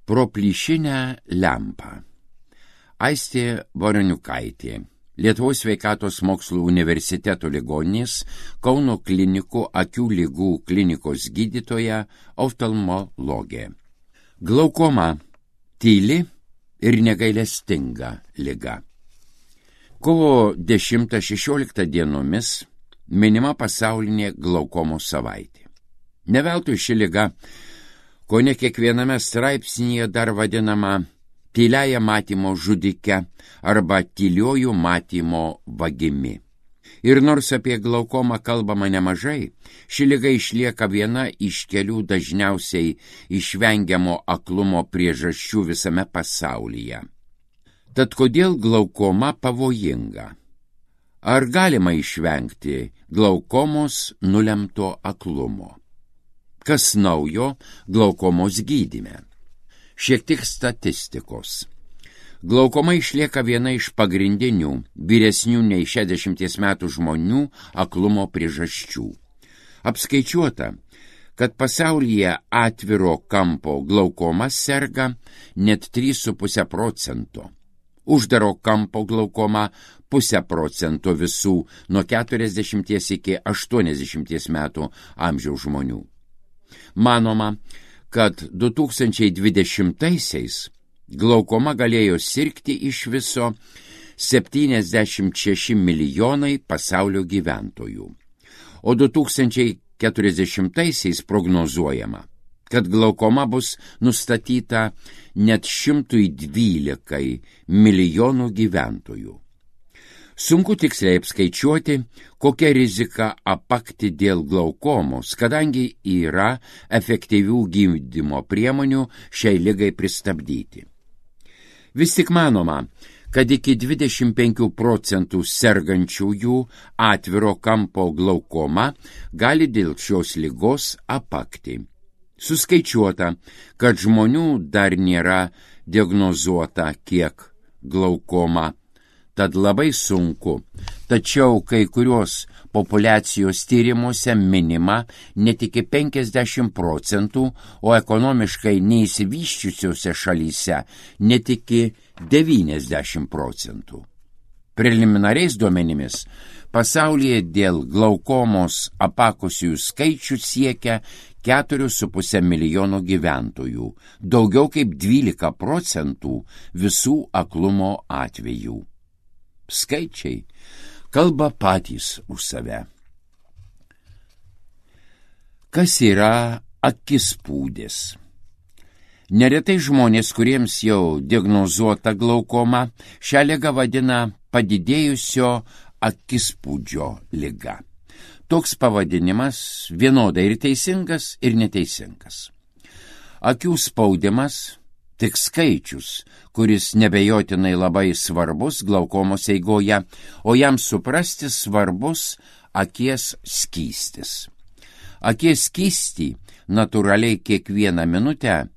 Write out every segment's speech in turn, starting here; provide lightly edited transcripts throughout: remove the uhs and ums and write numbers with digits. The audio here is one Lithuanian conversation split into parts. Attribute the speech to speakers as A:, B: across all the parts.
A: Pro plyšinę lempą. Aistė Voroniukaitė, Lietuvos sveikatos mokslų universiteto ligoninės Kauno klinikų akių ligų klinikos gydytoja, oftalmologė. Glaukoma – tyli ir negailestinga liga. Kovo 10-16 dienomis minima pasaulinė glaukomos savaitė. Ne veltui ši liga, kone kiekviename straipsnyje dar vadinama tyliąją matymo žudike arba tyliuoju matymo vagimi. Ir nors apie glaukomą kalbama nemažai, ši liga išlieka viena iš kelių dažniausiai išvengiamo aklumo priežasčių visame pasaulyje. Tad kodėl glaukoma pavojinga? Ar galima išvengti glaukomos nulemto aklumo? Kas naujo glaukomos gydyme? Šiek tiek statistikos. Glaukoma išlieka viena iš pagrindinių vyresnių nei 60 metų žmonių aklumo priežasčių. Apskaičiuota, kad pasaulyje atviro kampo glaukoma serga net 3,5%. Uždaro kampo glaukoma 0,5% visų nuo 40 iki 80 metų amžiaus žmonių. Manoma, kad 2020-aisiais glaukoma galėjo sirgti iš viso 76 milijonai pasaulio gyventojų, o 2040-aisiais prognozuojama, kad glaukoma bus nustatyta net 112 milijonų gyventojų. Sunku tiksliai apskaičiuoti, kokia rizika apakti dėl glaukomos, kadangi yra efektyvių gydymo priemonių šiai ligai pristabdyti. Vis tik manoma, kad iki 25% sergančiųjų atviro kampo glaukoma gali dėl šios ligos apakti. Suskaičiuota, kad žmonių dar nėra diagnozuota kiek glaukoma, tad labai sunku, tačiau kai kurios populiacijos tyrimuose minima net iki 50%, o ekonomiškai neįsivysčiusiuose šalyse net iki 90%. Preliminariais duomenimis pasaulyje dėl glaukomos apakusiųjų skaičius siekia 4,5 milijono gyventojų, daugiau kaip 12% visų aklumo atvejų. Skaičiai kalba patys už save. Kas yra akispūdis? Neretai žmonės, kuriems jau diagnozuota glaukoma, šią ligą vadina padidėjusio akispūdžio liga. Toks pavadinimas vienodai ir teisingas, ir neteisingas. Akių spaudimas tik skaičius, kuris nebejotinai labai svarbus glaukomos eigoje, o jam suprasti svarbus akies skystis. Akies skystį natūraliai kiekvieną minutę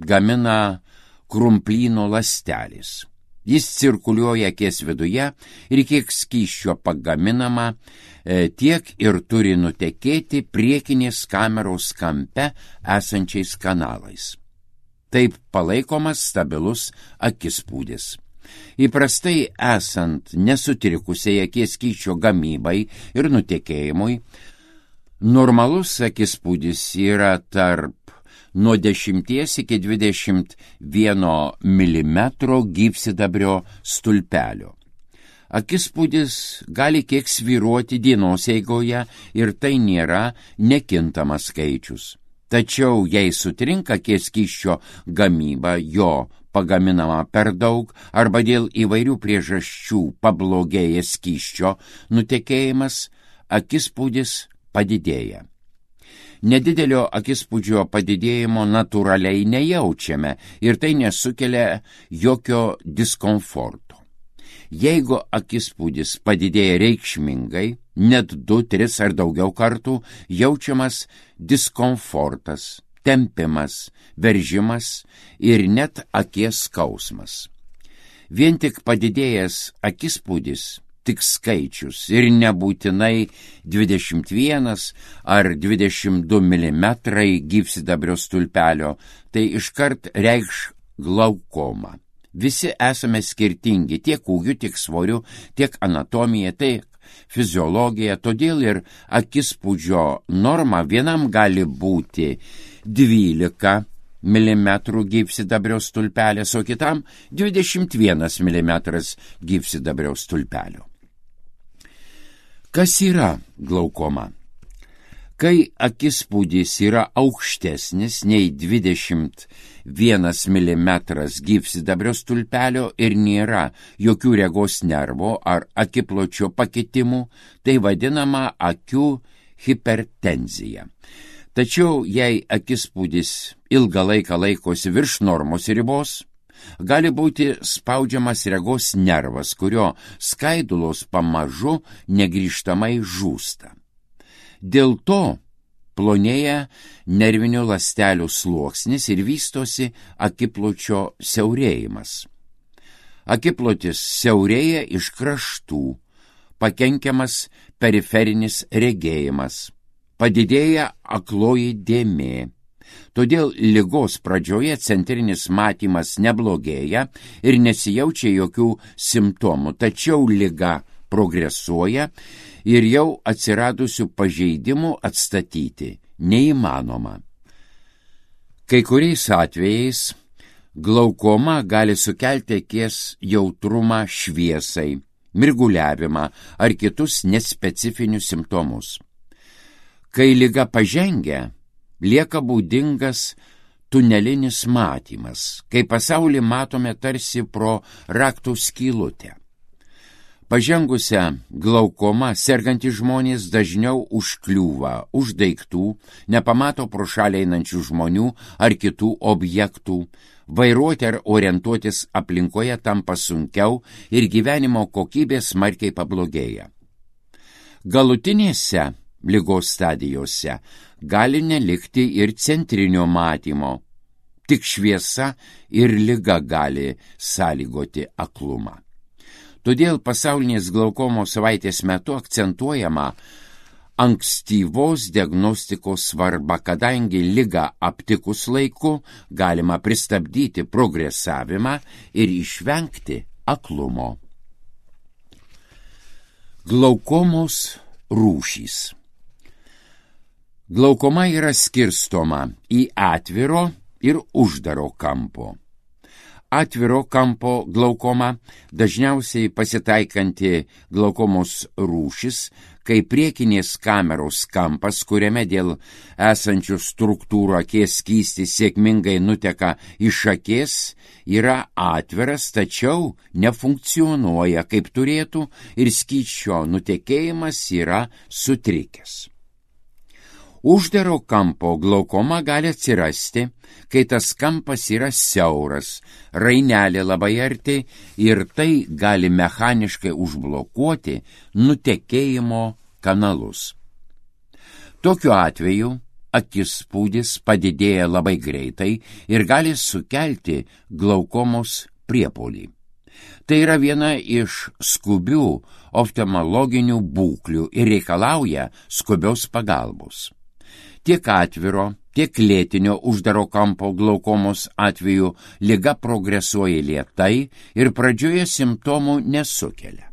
A: gamina krumplyno ląstelės. Jis cirkuliuoja akies viduje ir kiek skysčio pagaminama, tiek ir turi nutekėti priekinės kameros kampe esančiais kanalais. Taip palaikomas stabilus akispūdis. Įprastai esant nesutrikusiai akies skysčio gamybai ir nutekėjimui, normalus akispūdis yra tarp nuo 10 iki 21 mm gyvsidabrio stulpelio. Akispūdis gali kiek svyruoti dienos eigoje ir tai nėra nekintamas skaičius. Tačiau jei sutrinka akies skysčio gamyba, jo pagaminama per daug arba dėl įvairių priežasčių pablogėja skysčio nutekėjimas, akispūdis padidėja. Nedidelio akispūdžio padidėjimo natūraliai nejaučiame ir tai nesukelia jokio diskomforto. Jeigu akispūdis padidėja reikšmingai, net 2, 3 ar daugiau kartų, jaučiamas diskomfortas, tempimas, veržimas ir net akies skausmas. Vien tik padidėjęs akispūdis, tik skaičius ir nebūtinai 21 ar 22 mm gyvsidabrio stulpelio, tai iškart reikš glaukoma. Visi esame skirtingi tiek ūgiu, tiek svoriu, tiek anatomija, tiek fiziologija, todėl ir akispūdžio norma vienam gali būti 12 mm gyvsidabrio stulpelės, o kitam 21 mm gyvsidabrio stulpelio. Kas yra glaukoma? Kai akispūdis yra aukštesnis nei 21 mm gyvsidabrio stulpelio ir nėra jokių regos nervo ar akipločio pakitimų, tai vadinama akių hipertenzija. Tačiau jei akispūdis ilgą laiką laikosi virš normos ribos, gali būti spaudžiamas regos nervas, kurio skaidulos pamažu negrįžtamai žūsta. Dėl to plonėja nervinių ląstelių sluoksnis ir vystosi akipločio siaurėjimas. Akiplotis siaurėja iš kraštų, pakenkiamas periferinis regėjimas, padidėja akloji dėmė. Todėl ligos pradžioje centrinis matymas neblogėja ir nesijaučia jokių simptomų, tačiau liga progresuoja ir jau atsiradusių pažeidimų atstatyti neįmanoma. Kai kuriais atvejais glaukoma gali sukelti akies jautrumą šviesai, mirguliavimą ar kitus nespecifinius simptomus. Kai liga pažengia, lieka būdingas tunelinis matymas, kai pasaulį matome tarsi pro raktų skylutę. Pažengusią glaukomą sergantys žmonės dažniau užkliūva už daiktų, nepamato pro šalį einančių žmonių ar kitų objektų, vairuoti ar orientuotis aplinkoje tampa sunkiau ir gyvenimo kokybė smarkiai pablogėja. Galutinėse ligos stadijose gali nelikti ir centrinio matymo, tik šviesa ir liga gali sąlygoti aklumą. Todėl pasaulinės glaukomos savaitės metu akcentuojama ankstyvos diagnostikos svarba, kadangi ligą aptikus laiku galima pristabdyti progresavimą ir išvengti aklumo. Glaukomos rūšys. Glaukoma yra skirstoma į atviro ir uždaro kampo. Atviro kampo glaukoma dažniausiai pasitaikanti glaukomos rūšis, kai priekinės kameros kampas, kuriame dėl esančių struktūrų akies skystis sėkmingai nuteka iš akies, yra atviras, tačiau nefunkcionuoja kaip turėtų ir skysčio nutekėjimas yra sutrikęs. Uždaro kampo glaukoma gali atsirasti, kai tas kampas yra siauras, rainelė labai arti ir tai gali mechaniškai užblokuoti nutekėjimo kanalus. Tokiu atveju akispūdis padidėja labai greitai ir gali sukelti glaukomos priepuolį. Tai yra viena iš skubių oftalmologinių būklių ir reikalauja skubios pagalbos. Tiek atviro, tiek lėtinio uždaro kampo glaukomos atveju liga progresuoja lėtai ir pradžioje simptomų nesukelia.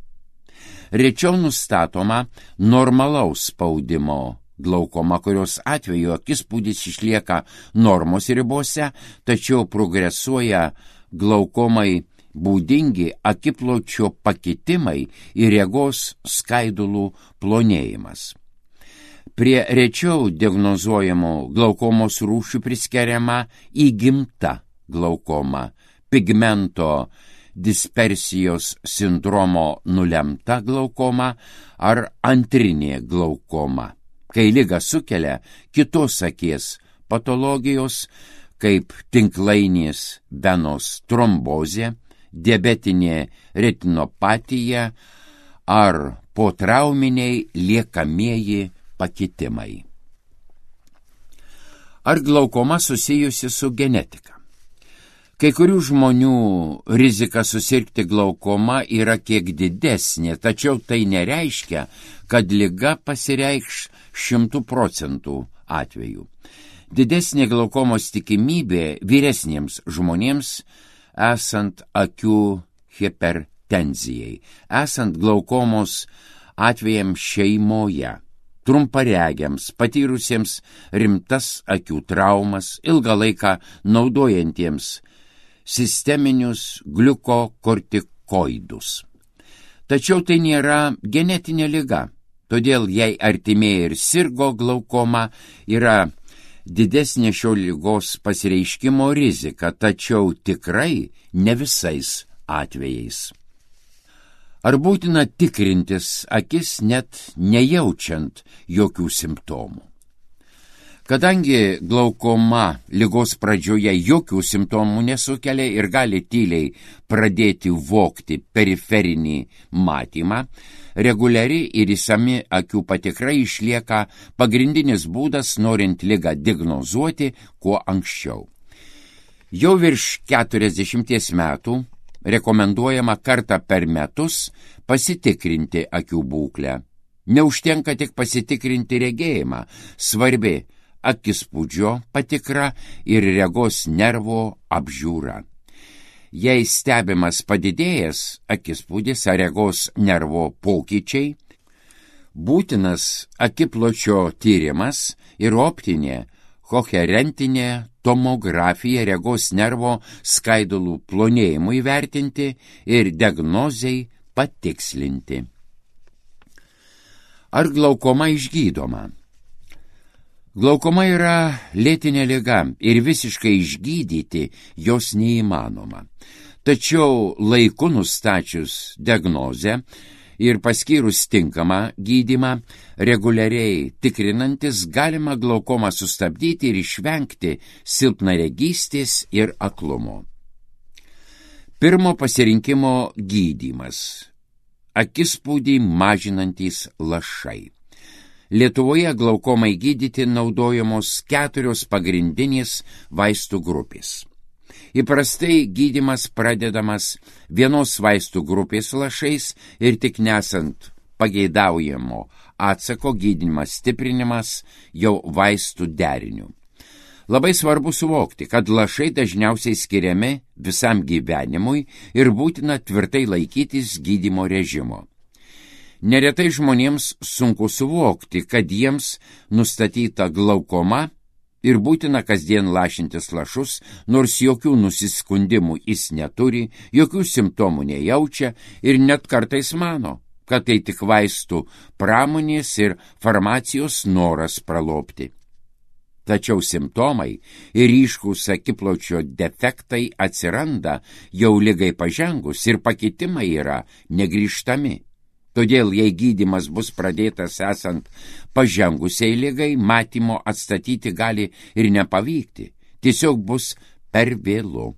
A: Rečiau nustatoma normalaus spaudimo glaukoma, kurios atveju akispūdis išlieka normos ribose, tačiau progresuoja glaukomai būdingi akipločio pakitimai ir regos skaidulų plonėjimas. Prie rečiau diagnozuojamų glaukomos rūšių priskiriama įgimta glaukoma, pigmento dispersijos sindromo nulemta glaukoma ar antrinė glaukoma, kai ligą sukelia kitos akies patologijos, kaip tinklainės venos trombozė, diabetinė retinopatija ar potrauminiai liekamieji pakitimai. Ar glaukoma susijusi su genetika? Kai kurių žmonių rizika susirgti glaukoma yra kiek didesnė, tačiau tai nereiškia, kad liga pasireikš 100% atveju. Didesnė glaukomos tikimybė vyresniems žmonėms esant akių hipertenzijai, esant glaukomos atvejams šeimoje, trumparegiams, patyrusiems rimtas akių traumas, ilgą laiką naudojantiems sisteminius gliukokortikoidus. Tačiau tai nėra genetinė liga, todėl jei artimieji ir sirgo glaukoma, yra didesnė šio ligos pasireiškimo rizika, tačiau tikrai ne visais atvejais. Ar būtina tikrintis akis net nejaučiant jokių simptomų? Kadangi glaukoma ligos pradžioje jokių simptomų nesukelia ir gali tyliai pradėti vogti periferinį matymą, reguliari ir išsami akių patikra išlieka pagrindinis būdas, norint ligą diagnozuoti kuo anksčiau. Jau virš 40 metų rekomenduojama kartą per metus pasitikrinti akių būklę. Neužtenka tik pasitikrinti regėjimą, svarbi akispūdžio patikra ir regos nervo apžiūra. Jei stebimas padidėjęs akispūdis ar regos nervo pokyčiai, būtinas akipločio tyrimas ir optinė koherentinė tomografija regos nervo skaidulų plonėjimui vertinti ir diagnozei patikslinti. Ar glaukoma išgydoma? Glaukoma yra lėtinė liga ir visiškai išgydyti jos neįmanoma. Tačiau laiku nustačius diagnozę ir paskyrus tinkamą gydymą, reguliariai tikrinantis galima glaukomą sustabdyti ir išvengti silpnaregystės ir aklumo. Pirmo pasirinkimo gydymas – akispūdį mažinantys lašai. Lietuvoje glaukomai gydyti naudojamos 4 pagrindinės vaistų grupės. Įprastai gydymas pradedamas vienos vaistų grupės lašais ir tik nesant pageidaujamo atsako gydymas stiprinimas jau vaistų deriniu. Labai svarbu suvokti, kad lašai dažniausiai skiriami visam gyvenimui ir būtina tvirtai laikytis gydymo režimo. Neretai žmonėms sunku suvokti, kad jiems nustatyta glaukoma ir būtina kasdien lašintis lašus, nors jokių nusiskundimų jis neturi, jokių simptomų nejaučia ir net kartais mano, kad tai tik vaistų pramonės ir farmacijos noras pralobti. Tačiau simptomai ir ryškūs akipločio defektai atsiranda jau ligai pažengus ir pakitimai yra negrįžtami. Todėl, jei gydymas bus pradėtas esant pažengusiai ligai, matymo atstatyti gali ir nepavykti, tiesiog bus per vėlu.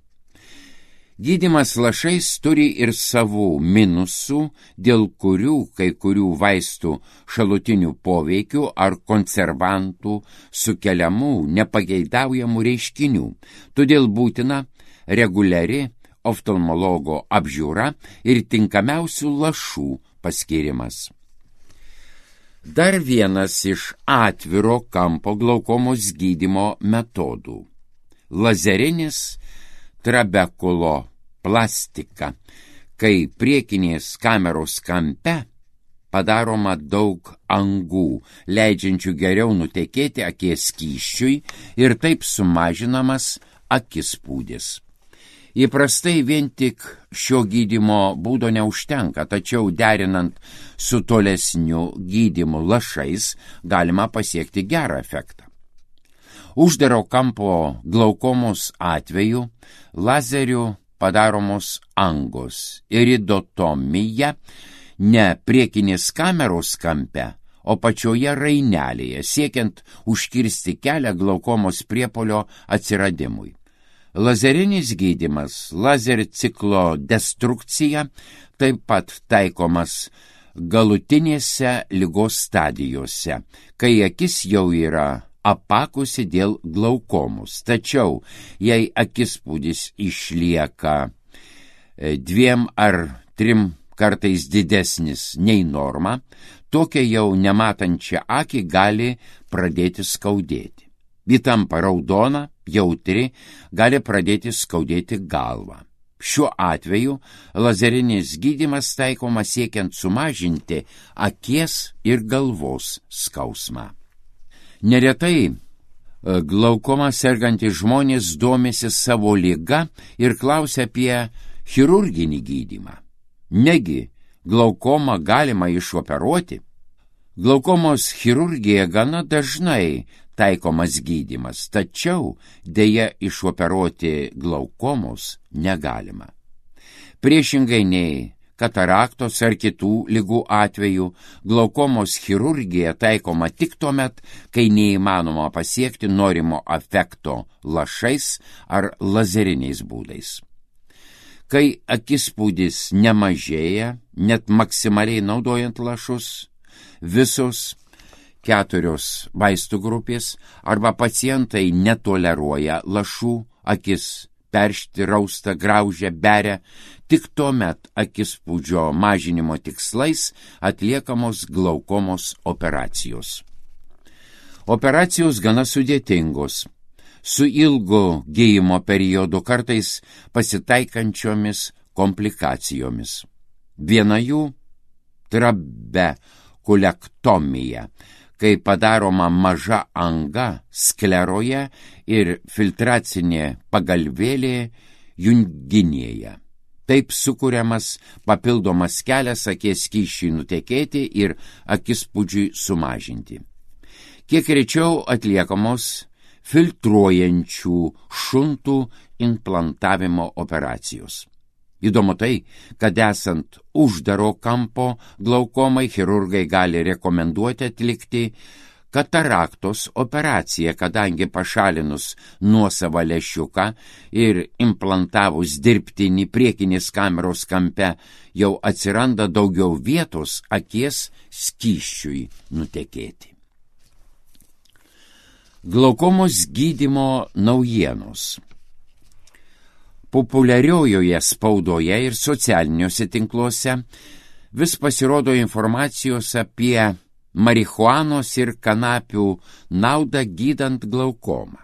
A: Gydymas lašais turi ir savų minusų, dėl kurių kai kurių vaistų šalutinių poveikių ar konservantų sukeliamų nepageidaujamų reiškinių, todėl būtina reguliari oftalmologo apžiūra ir tinkamiausių lašų paskirimas. Dar vienas iš atviro kampo glaukomos gydymo metodų – lazerinis trabekulo plastika, kai priekinės kameros kampe padaroma daug angų, leidžiančių geriau nutekėti akies skysčiui ir taip sumažinamas akispūdis. Įprastai vien tik šio gydymo būdo neužtenka, tačiau derinant su tolesniu gydymu lašais galima pasiekti gerą efektą. Uždaro kampo glaukomos atveju lazeriu padaromos angos, iridotomija ne priekinės kameros kampe, o pačioje rainelėje, siekiant užkirsti kelią glaukomos priepuolio atsiradimui. Lazerinis gydymas, lazer ciklo destrukcija, taip pat taikomas galutinėse ligos stadijose, kai akis jau yra apakusi dėl glaukomos. Tačiau, jei akispūdis išlieka 2 ar 3 kartais didesnis nei norma, tokia jau nematančia akį gali pradėti skaudėti. Ji tampa raudona, jautri, gali pradėti skaudėti galvą. Šiuo atveju lazerinis gydymas taikomas siekiant sumažinti akies ir galvos skausmą. Neretai glaukoma sergantys žmonės domisi savo liga ir klausia apie chirurginį gydymą. Negi glaukomą galima išoperuoti? Glaukomos chirurgija gana dažnai taikomas gydymas, tačiau deja išoperuoti glaukomos negalima. Priešingai nei kataraktos ar kitų ligų atveju, glaukomos chirurgija taikoma tik tuomet, kai neįmanoma pasiekti norimo efekto lašais ar lazeriniais būdais. Kai akispūdis nemažėja, net maksimaliai naudojant lašus, visos 4 vaistų grupės arba pacientai netoleruoja lašų, akis peršti, rausta, graužia, beria, tik tuomet akispūdžio mažinimo tikslais atliekamos glaukomos operacijos. Operacijos gana sudėtingos, su ilgu gijimo periodu, kartais pasitaikančiomis komplikacijomis. Viena jų trabekulektomija, kai padaroma maža anga skleroje ir filtracinė pagalvėlė junginėje. Taip sukuriamas papildomas kelias akies skysčiui nutekėti ir akispūdžiui sumažinti. Kiek rečiau atliekamos filtruojančių šuntų implantavimo operacijos. Įdomu tai, kad esant uždaro kampo glaukomai chirurgai gali rekomenduoti atlikti kataraktos operaciją, kadangi pašalinus nuosavą lęšiuką ir implantavus dirbtinį priekinės kameros kampe jau atsiranda daugiau vietos akies skysčiui nutekėti. Glaukomos gydymo naujienos. Populiariojoje spaudoje ir socialiniuose tinkluose vis pasirodo informacijos apie marihuanos ir kanapių naudą gydant glaukomą.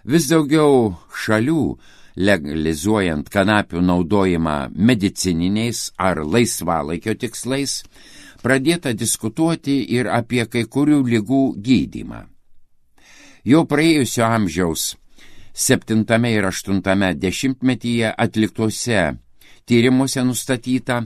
A: Vis daugiau šalių, legalizuojant kanapių naudojimą medicininiais ar laisvalaikio tikslais, pradėta diskutuoti ir apie kai kurių ligų gydymą. Jau praėjusio amžiaus 7 ir 8 dešimtmetyje atliktuose tyrimuose nustatyta,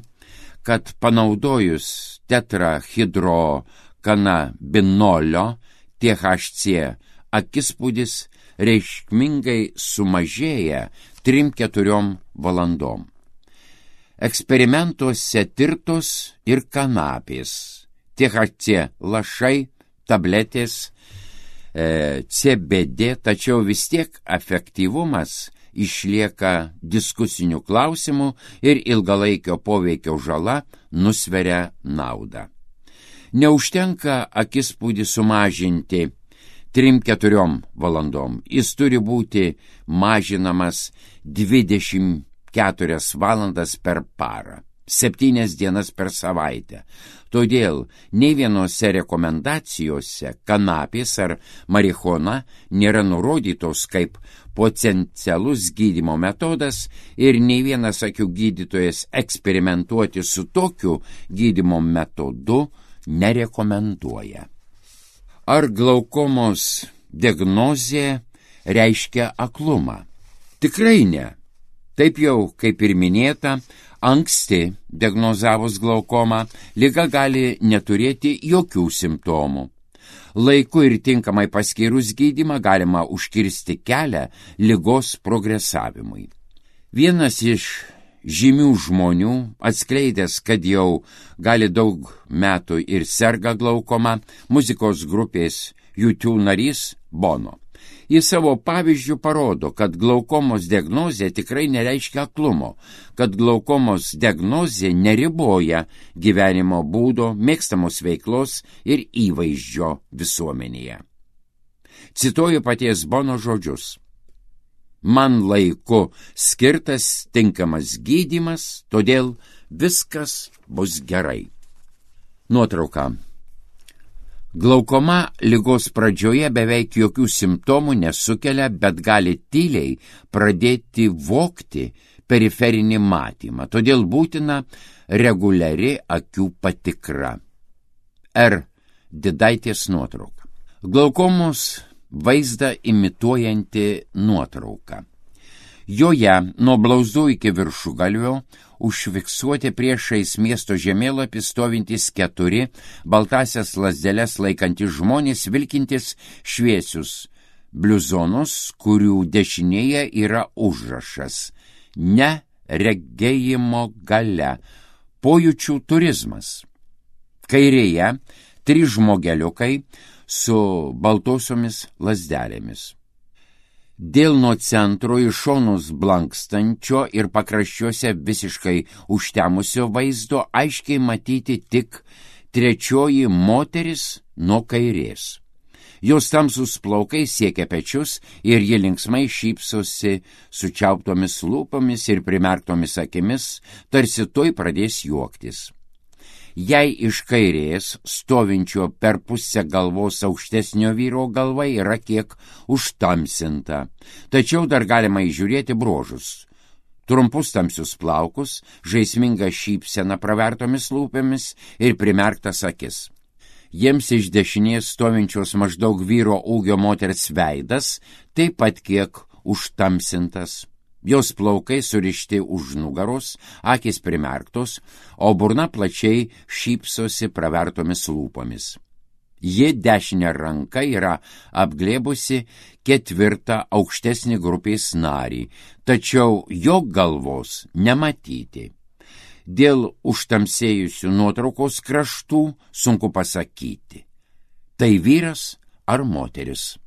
A: kad panaudojus tetrahidrokanabinolio THC akispūdis reikšmingai sumažėja 3-4 valandom. Eksperimentuose tirtos ir kanapės, THC lašai, tabletės, CBD, tačiau vis tiek efektyvumas išlieka diskusinių klausimų ir ilgalaikio poveikio žala nusveria naudą. Neužtenka akispūdį sumažinti 3-4 valandom. Jis turi būti mažinamas 24 valandas per parą, 7 dienas per savaitę. Todėl nei vienose rekomendacijose kanapės ar marihuana nėra nurodytos kaip potencialus gydymo metodas ir nei vienas akių gydytojas eksperimentuoti su tokiu gydymo metodu nerekomenduoja. Ar glaukomos diagnozė reiškia aklumą? Tikrai ne. Taip jau, kaip ir minėta, anksti diagnozavus glaukomą, liga gali neturėti jokių simptomų. Laiku ir tinkamai paskyrus gydymą galima užkirsti kelią ligos progresavimui. Vienas iš žymių žmonių, atskleidęs, kad jau gali daug metų ir serga glaukoma, muzikos grupės U2 narys Bono. Jis savo pavyzdžių parodo, kad glaukomos diagnozė tikrai nereiškia aklumo, kad glaukomos diagnozė neriboja gyvenimo būdo, mėgstamos veiklos ir įvaizdžio visuomenėje. Cituoju paties Bono žodžius. Man laiku skirtas tinkamas gydymas, todėl viskas bus gerai. Nuotrauka. Glaukoma ligos pradžioje beveik jokių simptomų nesukelia, bet gali tyliai pradėti vogti periferinį matymą, todėl būtina reguliari akių patikra. R. Didaitės nuotrauka. Glaukomos vaizdą imituojanti nuotrauka. Joje nuo blauzdų iki viršugalvio užfiksuoti priešais miesto žemėlapį stovintys 4 baltasias lazdeles laikantys žmonės vilkintys šviesius bliuzonus, kurių dešinėje yra užrašas ne regėjimo galia, pojūčių turizmas. Kairėje 3 žmogeliukai su baltosiomis lazdelėmis. Dėl nuo centro į šonus blankstančio ir pakraščiuose visiškai užtemusio vaizdo aiškiai matyti tik 3 moteris nuo kairės. Jos tamsus plaukai siekia pečius ir ji linksmai šypsosi sučiauptomis lūpomis ir primerktomis akimis, tarsi tuoj pradės juoktis. Jei iš kairės stovinčio per pusę galvos aukštesnio vyro galva yra kiek užtamsinta, tačiau dar galima įžiūrėti bruožus. Trumpus tamsius plaukus, žaismingą šypseną pravertomis lūpėmis ir primerktas akis. Jiems iš dešinės stovinčios maždaug vyro ūgio moters veidas taip pat kiek užtamsintas. Jos plaukai surišti už nugaros, akys primerktos, o burna plačiai šypsosi pravertomis lūpomis. Ji dešinę ranką yra apglėbusi 4 aukštesnį grupės narį, tačiau jo galvos nematyti. Dėl užtamsėjusių nuotraukos kraštų sunku pasakyti, tai vyras ar moteris.